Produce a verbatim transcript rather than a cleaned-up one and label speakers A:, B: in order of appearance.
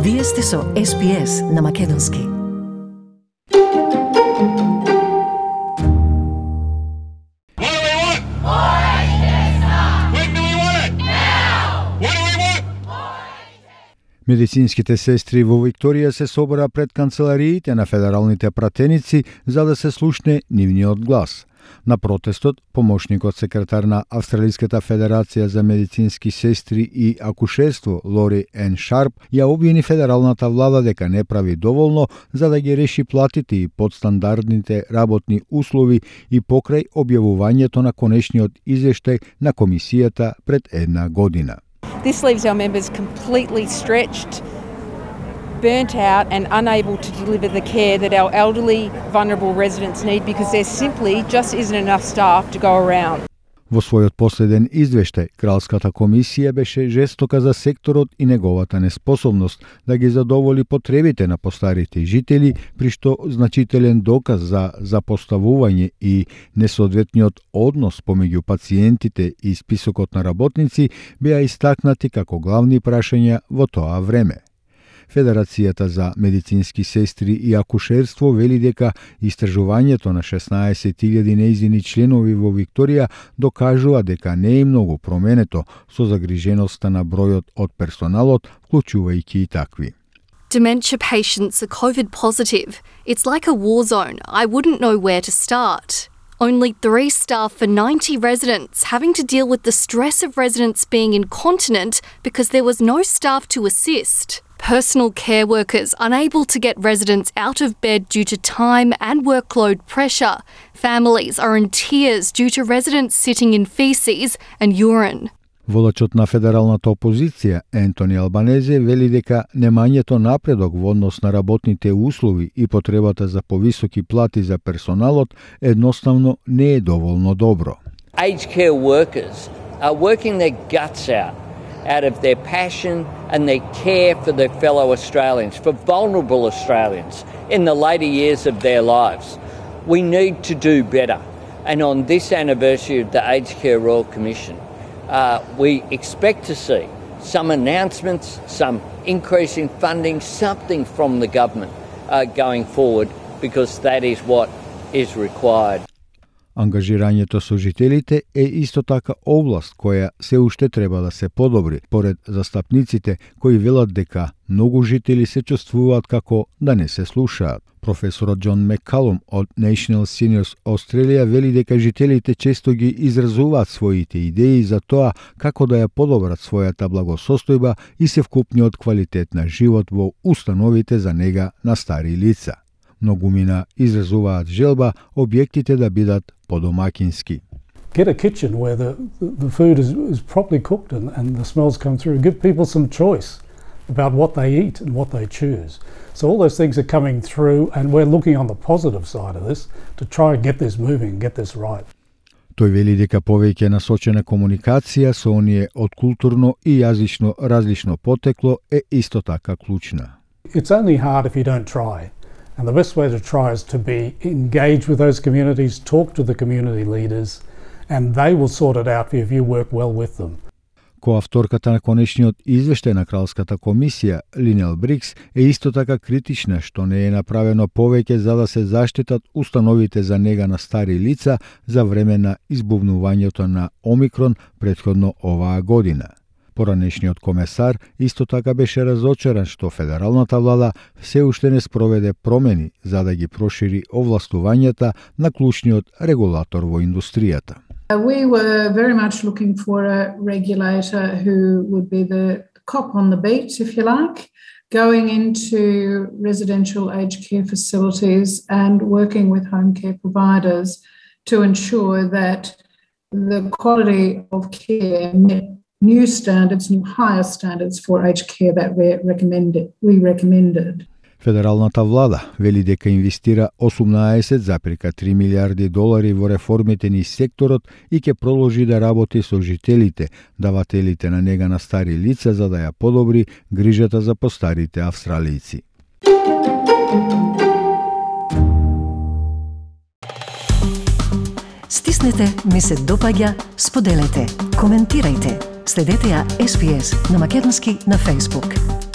A: Вие сте со Ес Би Ес на Македонски.
B: Медицинските сестри во Викторија се собра пред канцелариите на федералните пратеници за да се слушне нивниот глас. На протестот, помошникот секретар на Австралиската федерација за медицински сестри и акушерство Лори Ен Шарп ја обвини федералната влада дека не прави доволно за да ги реши платите и подстандардните работни услови и покрај објавувањето на конечниот извештај на комисијата пред една година.
C: This leaves our members completely stretched, burnt out and unable to deliver the care that our elderly, vulnerable residents need because there simply just isn't enough staff to go around.
B: Во својот последен извештај, Кралската комисија беше жестока за секторот и неговата неспособност да ги задоволи потребите на постарите жители, при што значителен доказ за запоставување и несоодветниот однос помеѓу пациентите и списокот на работници беа истакнати како главни прашања во тоа време. Федерацијата за медицински сестри и акушерство вели дека истражувањето на шеснаесет илјади нејзини членови во Викторија докажува дека не е многу променето со загриженоста на бројот од персоналот, вклучувајќи и такви.
D: Dementia patients are COVID positive. It's like a war zone. I wouldn't know where to start. Only three staff for ninety residents, having to deal with the stress of residents being incontinent because there was no staff to assist. Personal care workers unable to get residents out of bed due to time and workload pressure. Families are in tears due to residents sitting in feces and urine.
B: Водачот на федералната опозиција, Ентони Албанезе, вели дека немањето напредок во однос на работните услови и потребата за повисоки плати за персоналот едноставно не е доволно добро.
E: Aged care workers are working their guts out, out of their passion and their care for their fellow Australians, for vulnerable Australians in the later years of their lives. We need to do better. And on this anniversary of the Aged Care Royal Commission, Uh, we expect to see some announcements, some increase in funding, something from the government uh, going forward, because that is what is required.
B: Ангажирањето со жителите е исто така област која се уште треба да се подобри, поред застапниците кои велат дека многу жители се чувствуваат како да не се слушаат. Професорот Џон Меккалум од National Seniors Australia вели дека жителите често ги изразуваат своите идеи за тоа како да ја подобрат својата благосостојба и се вкупниот квалитет на живот во установите за нега на стари лица. Многумина изразуваат желба објектите да бидат подомакински.
F: Get a kitchen where the, the food is, is properly cooked and, and the smells come through. Give people some choice about what they eat and what they choose. So all those things are coming through, and we're looking on the positive side of this to try and get this moving, get this right.
B: Тој вели дека повеќе насочена комуникација со оние од културно и јазично различно потекло е исто така клучна.
F: It's only hard if you don't try. And the best way to try is to be engaged with those communities, talk to the community leaders, and they will sort it out if you work well with them.
B: Коавторката на конечниот извештај на Кралската комисија, Линел Брикс, е исто така критична што не е направено повеќе за да се заштитат установите за нега на стари лица за време на избувнувањето на Омикрон претходно оваа година. Поранешниот комесар исто така беше разочаран што федералната влада се уште не спроведе промени за да ги прошири овластувањата на клучниот регулатор во индустријата.
G: We were very much looking for a regulator who would be the cop on the beat, if you like, going into residential aged care facilities and working with home care providers to ensure that the quality of care met new standards, new higher standards for aged care that we recommended. We recommended.
B: Федералната влада вели дека инвестира осумнаесет зарез и три милиарди долари во реформите низ секторот и ќе продолжи да работи со жителите, давателите на нега на стари лица за да ја подобри грижата за постарите австралијци.
A: Стиснете, ми се допаѓа, споделете, коментирајте. Следете ја Ес Би Ес на Македонски на Facebook.